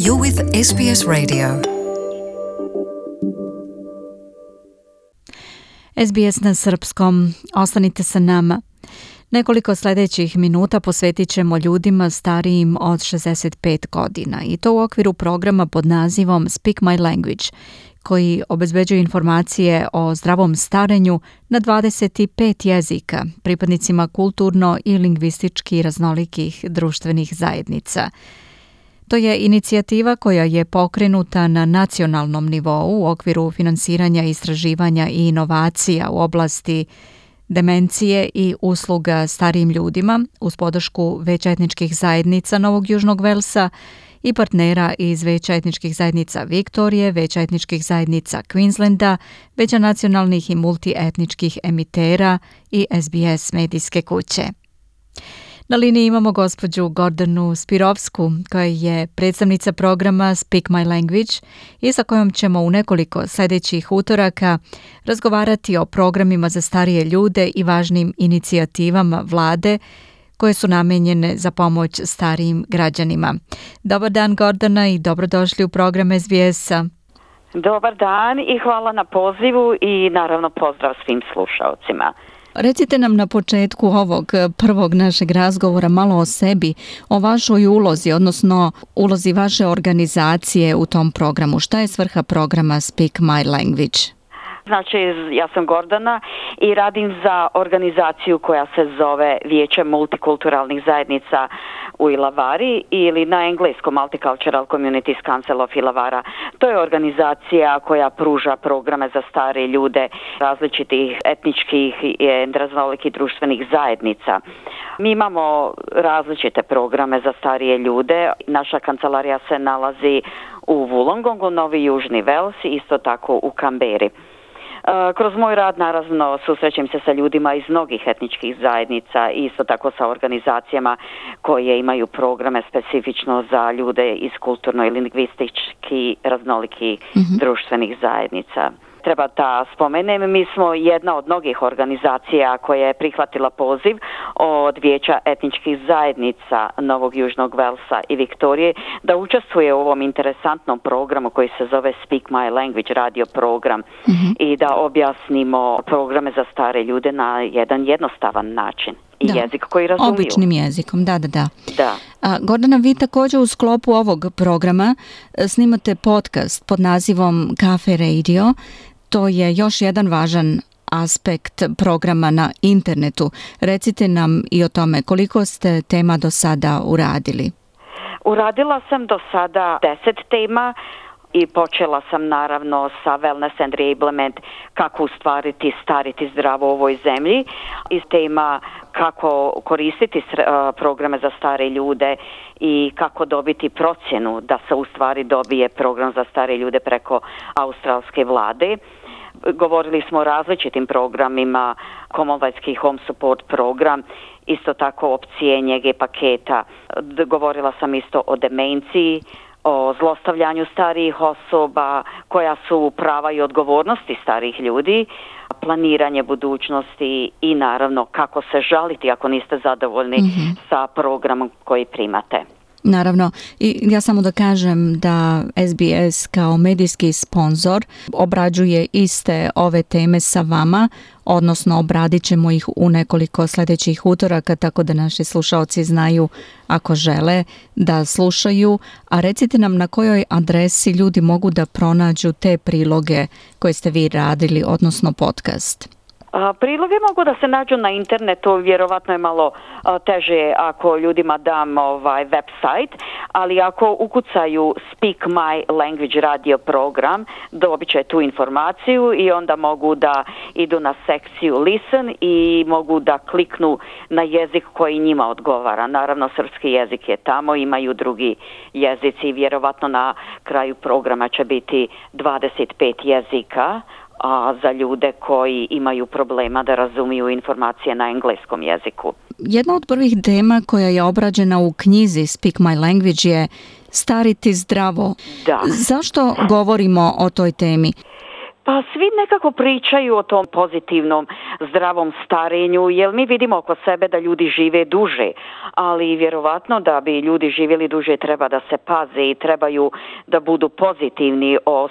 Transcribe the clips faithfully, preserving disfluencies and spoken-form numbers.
You're with S B S Radio. S B S na srpskom. Ostanite sa nama. Nekoliko sljedećih minuta posvetit ćemo ljudima starijim od šezdeset pet godina i to u okviru programa pod nazivom Speak My Language, koji obezbeđuje informacije o zdravom starenju na dvadeset pet jezika pripadnicima kulturno i lingvistički raznolikih društvenih zajednica. To je inicijativa koja je pokrenuta na nacionalnom nivou u okviru finansiranja, istraživanja i inovacija u oblasti demencije i usluga starijim ljudima uz podršku Veća etničkih zajednica Novog Južnog Velsa i partnera iz Veća etničkih zajednica Viktorije, Veća etničkih zajednica Queenslanda, Veća nacionalnih i multietničkih emitera i S B S medijske kuće. Na liniji imamo gospođu Gordanu Spirovsku, koja je predstavnica programa Speak My Language i sa kojom ćemo u nekoliko sljedećih utoraka razgovarati o programima za starije ljude i važnim inicijativama vlade koje su namenjene za pomoć starijim građanima. Dobar dan, Gordana, i dobrodošli u program S B S-a. Dobar dan i hvala na pozivu i naravno pozdrav svim slušalcima. Recite nam na početku ovog prvog našeg razgovora malo o sebi, o vašoj ulozi, odnosno ulozi vaše organizacije u tom programu. Šta je svrha programa Speak My Language? Znači, ja sam Gordana i radim za organizaciju koja se zove Vijeće multikulturalnih zajednica u Ilavari ili na engleskom Multicultural Communities Council of Ilavara. To je organizacija koja pruža programe za stare ljude različitih etničkih i raznolikih društvenih zajednica. Mi imamo različite programe za starije ljude. Naša kancelarija se nalazi u Wollongongu, Novi Južni Vels, isto tako u Kamberi. Kroz moj rad naravno susrećem se sa ljudima iz mnogih etničkih zajednica i isto tako sa organizacijama koje imaju programe specifično za ljude iz kulturno i lingvistički raznolikih mm-hmm. društvenih zajednica. Treba da spomenem, mi smo jedna od mnogih organizacija koja je prihvatila poziv od Vijeća etničkih zajednica Novog Južnog Velsa i Viktorije da učestvuje u ovom interesantnom programu koji se zove Speak My Language radio program mm-hmm. i da objasnimo programe za stare ljude na jedan jednostavan način. I da. Jezik koji razumiju. Običnim jezikom, da, da, da. da. A, Gordana, vi također u sklopu ovog programa snimate podcast pod nazivom Cafe Radio. To je još jedan važan aspekt programa na internetu. Recite nam i o tome koliko ste tema do sada uradili. Uradila sam do sada deset tema i počela sam naravno sa Wellness and Reablement, kako ustvariti, stariti zdravo u ovoj zemlji, iz tema kako koristiti programe za stare ljude i kako dobiti procjenu da se u stvari dobije program za stare ljude preko australske vlade. Govorili smo o različitim programima, Commonwealthski Home Support program, isto tako opcije njege paketa. Govorila sam isto o demenciji, o zlostavljanju starijih osoba, koja su prava i odgovornosti starijih ljudi, planiranje budućnosti i naravno kako se žaliti ako niste zadovoljni mm-hmm. sa programom koji primate. Naravno, i ja samo da kažem da S B S kao medijski sponzor obrađuje iste ove teme sa vama, odnosno obradit ćemo ih u nekoliko sljedećih utoraka, tako da naši slušalci znaju ako žele da slušaju. A recite nam na kojoj adresi ljudi mogu da pronađu te priloge koje ste vi radili, odnosno podcast. A, priloge mogu da se nađu na internetu, vjerovatno je malo a, teže ako ljudima dam ovaj website, ali ako ukucaju Speak My Language radio program, dobit će tu informaciju i onda mogu da idu na sekciju Listen i mogu da kliknu na jezik koji njima odgovara. Naravno, srpski jezik je tamo, imaju drugi jezici i vjerovatno na kraju programa će biti dvadeset pet jezika, a za ljude koji imaju problema da razumiju informacije na engleskom jeziku. Jedna od prvih tema koja je obrađena u knjizi Speak My Language je stariti zdravo. Da. Zašto govorimo o toj temi? Pa svi nekako pričaju o tom pozitivnom, zdravom starenju, jer mi vidimo oko sebe da ljudi žive duže, ali vjerovatno da bi ljudi živjeli duže treba da se paze i trebaju da budu pozitivni o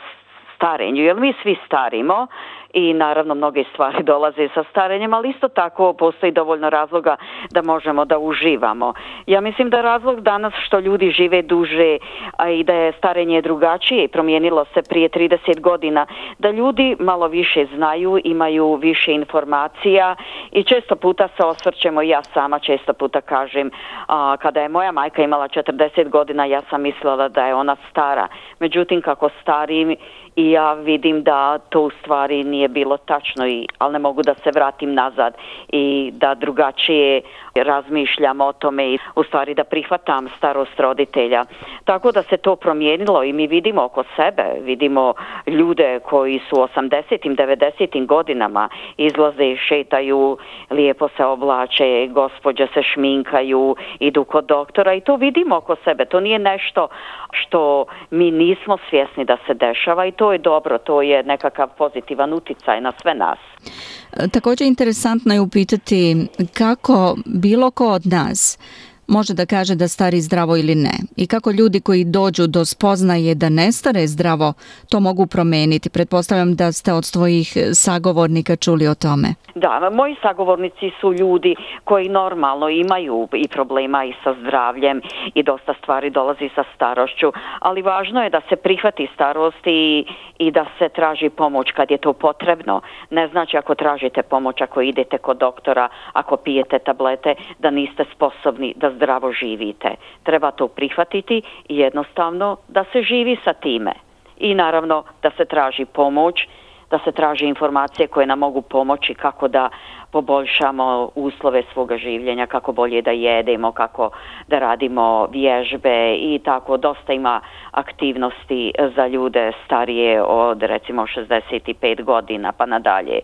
starenju, jer mi svi starimo i naravno mnoge stvari dolaze sa starenjem, ali isto tako postoji dovoljno razloga da možemo da uživamo. Ja mislim da razlog danas što ljudi žive duže, a i da je starenje drugačije i promijenilo se prije trideset godina, da ljudi malo više znaju, imaju više informacija i često puta se osvrćemo, ja sama često puta kažem, a, kada je moja majka imala četrdeset godina, ja sam mislila da je ona stara. Međutim, kako starim i ja vidim da to u stvari nije bilo tačno, i, ali ne mogu da se vratim nazad i da drugačije razmišljam o tome i u stvari da prihvatam starost roditelja. Tako da se to promijenilo i mi vidimo oko sebe, vidimo ljude koji su osamdesetim, devedesetim godinama izlaze, šetaju, lijepo se oblače, gospođe se šminkaju, idu kod doktora i to vidimo oko sebe. To nije nešto što mi nismo svjesni da se dešava i to je dobro, to je nekakav pozitivan utjecaj na sve nas. Također interesantno je upitati kako bilo ko od nas može da kaže da stari zdravo ili ne i kako ljudi koji dođu do spoznaje da ne stare zdravo to mogu promijeniti. Pretpostavljam da ste od svojih sagovornika čuli o tome. Da, moji sagovornici su ljudi koji normalno imaju i problema i sa zdravljem i dosta stvari dolazi sa starošću, ali važno je da se prihvati starost i, i da se traži pomoć kad je to potrebno. Ne znači ako tražite pomoć, ako idete kod doktora, ako pijete tablete, da niste sposobni da zdravo živite. Treba to prihvatiti i jednostavno da se živi sa time. I naravno da se traži pomoć, da se traži informacije koje nam mogu pomoći kako da poboljšamo uslove svoga življenja, kako bolje da jedemo, kako da radimo vježbe i tako. Dosta ima aktivnosti za ljude starije od recimo šezdeset pet godina pa nadalje.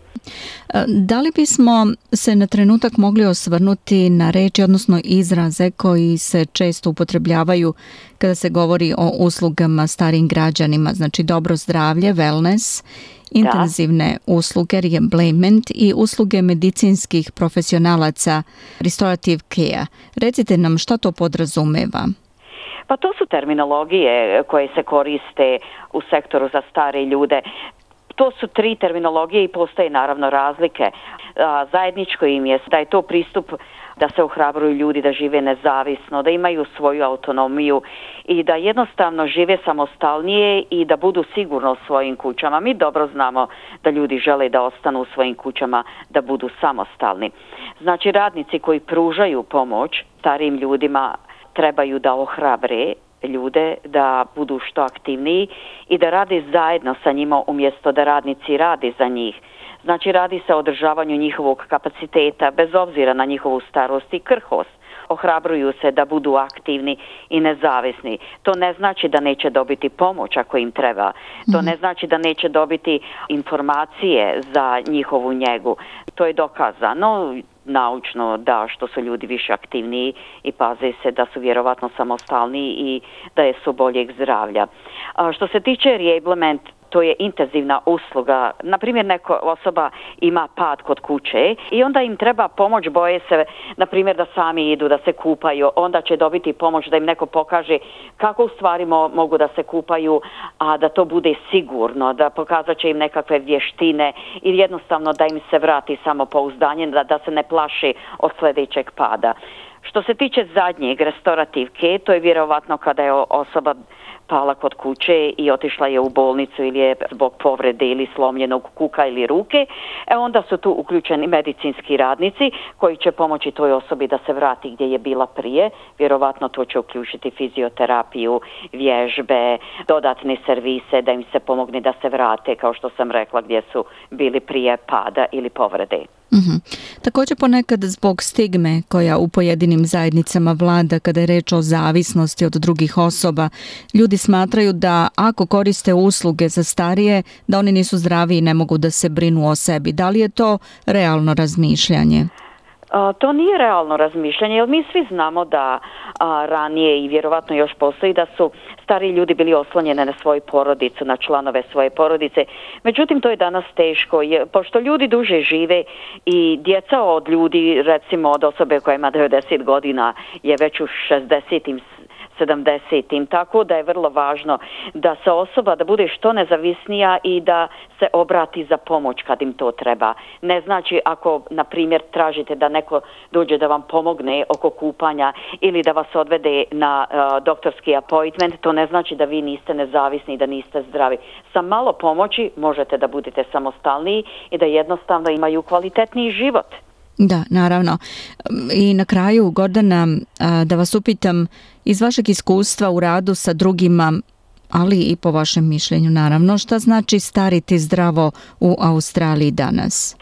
Da li bismo se na trenutak mogli osvrnuti na reči, odnosno izraze koji se često upotrebljavaju kada se govori o uslugama starijim građanima, znači dobro zdravlje, wellness, intenzivne da. usluge, reemployment i usluge medicinskih profesionalaca, restorative care. Recite nam šta to podrazumeva. Pa to su terminologije koje se koriste u sektoru za stare ljude. To su tri terminologije i postoje naravno razlike. Zajedničko im je da je to pristup da se ohrabruju ljudi da žive nezavisno, da imaju svoju autonomiju i da jednostavno žive samostalnije i da budu sigurno u svojim kućama. Mi dobro znamo da ljudi žele da ostanu u svojim kućama, da budu samostalni. Znači radnici koji pružaju pomoć starijim ljudima trebaju da ohrabre ljude da budu što aktivniji i da rade zajedno sa njima umjesto da radnici rade za njih. Znači radi se o održavanju njihovog kapaciteta bez obzira na njihovu starost i krhost. Ohrabruju se da budu aktivni i nezavisni. To ne znači da neće dobiti pomoć ako im treba. To ne znači da neće dobiti informacije za njihovu njegu. To je dokazano naučno da što su ljudi više aktivniji i paze se da su vjerovatno samostalniji i da je su boljeg zdravlja. A što se tiče reemployment, to je intenzivna usluga. Naprimjer, neka osoba ima pad kod kuće i onda im treba pomoć, boje se, naprimjer, da sami idu, da se kupaju, onda će dobiti pomoć da im neko pokaže kako u stvari mo- mogu da se kupaju, a da to bude sigurno, da pokazat će im nekakve vještine ili jednostavno da im se vrati samopouzdanje, da, da se ne plaši od sljedećeg pada. Što se tiče zadnjeg, restorative care, to je vjerovatno kada je osoba pala kod kuće i otišla je u bolnicu ili je zbog povrede ili slomljenog kuka ili ruke, e onda su tu uključeni medicinski radnici koji će pomoći toj osobi da se vrati gdje je bila prije. Vjerovatno to će uključiti fizioterapiju, vježbe, dodatne servise da im se pomogne da se vrate, kao što sam rekla, gdje su bili prije pada ili povrede. Mm-hmm. Također ponekad zbog stigme koja u pojedinim zajednicama vlada kada je reč o zavisnosti od drugih osoba, ljudi smatraju da ako koriste usluge za starije, da oni nisu zdravi i ne mogu da se brinu o sebi. Da li je to realno razmišljanje? A, to nije realno razmišljanje, jer mi svi znamo da a, ranije i vjerovatno još postoji da su stariji ljudi bili oslonjeni na svoju porodicu, na članove svoje porodice. Međutim, to je danas teško, je, pošto ljudi duže žive i djeca od ljudi, recimo od osobe koja ima devedeset godina, je već u šezdesetim sedamdesetim, tako da je vrlo važno da se osoba da bude što nezavisnija i da se obrati za pomoć kad im to treba. Ne znači ako, na primjer, tražite da neko dođe da vam pomogne oko kupanja ili da vas odvede na uh, doktorski appointment, to ne znači da vi niste nezavisni i da niste zdravi. Sa malo pomoći možete da budete samostalniji i da jednostavno imaju kvalitetniji život. Da, naravno. I na kraju, Gordana, da vas upitam, iz vašeg iskustva u radu sa drugima, ali i po vašem mišljenju, naravno, šta znači stariti zdravo u Australiji danas?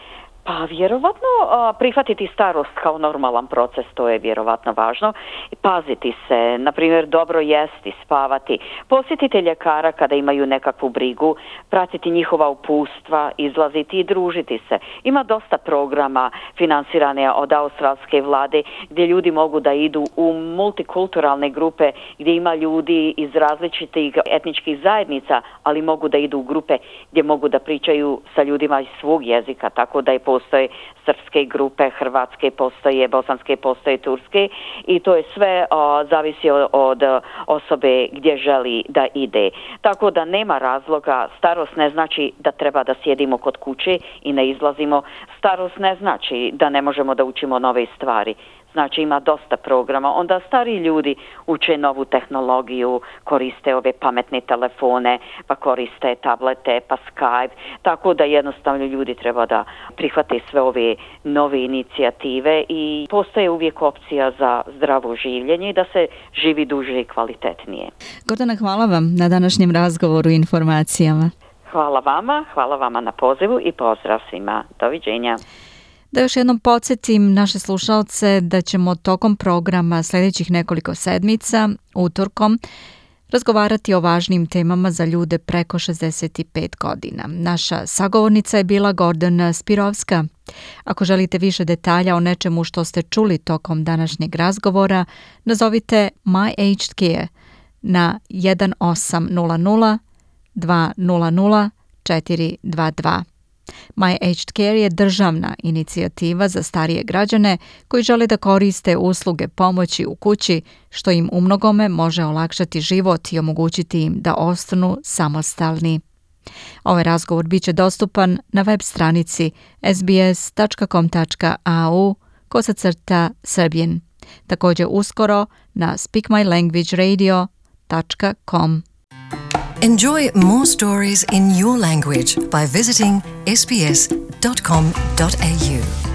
Pa vjerovatno prihvatiti starost kao normalan proces, to je vjerovatno važno. Paziti se, na primjer dobro jesti, spavati, posjetiti ljekara kada imaju nekakvu brigu, pratiti njihova upustva, izlaziti i družiti se. Ima dosta programa financirane od australske vlade gdje ljudi mogu da idu u multikulturalne grupe gdje ima ljudi iz različitih etničkih zajednica, ali mogu da idu u grupe gdje mogu da pričaju sa ljudima iz svog jezika, tako da je postoje srpske grupe, hrvatske postoje, bosanske postoje, turske i to je sve o, zavisi od, od osobe gdje želi da ide. Tako da nema razloga, starost ne znači da treba da sjedimo kod kuće i ne izlazimo, starost ne znači da ne možemo da učimo nove stvari. Znači ima dosta programa, onda stari ljudi uče novu tehnologiju, koriste ove pametne telefone, pa koriste tablete, pa Skype, tako da jednostavno ljudi treba da prihvate sve ove nove inicijative i postoje uvijek opcija za zdravo življenje i da se živi duže i kvalitetnije. Gordana, hvala vam na današnjem razgovoru i informacijama. Hvala vama, hvala vama na pozivu i pozdrav svima. Doviđenja. Da još jednom podsjetim naše slušalce da ćemo tokom programa sljedećih nekoliko sedmica, utorkom, razgovarati o važnim temama za ljude preko šezdeset pet godina. Naša sagovornica je bila Gordana Spirovska. Ako želite više detalja o nečemu što ste čuli tokom današnjeg razgovora, nazovite My Aged Care na jedan osam nula nula dva nula nula četiri dva dva. My Aged Care je državna inicijativa za starije građane koji žele da koriste usluge pomoći u kući, što im umnogome može olakšati život i omogućiti im da ostanu samostalni. Ovaj razgovor bit će dostupan na web stranici s b s tačka com tačka a u kosacrta Serbian. Također uskoro na speak my language radio dot com. Enjoy more stories in your language by visiting s b s dot com dot a u.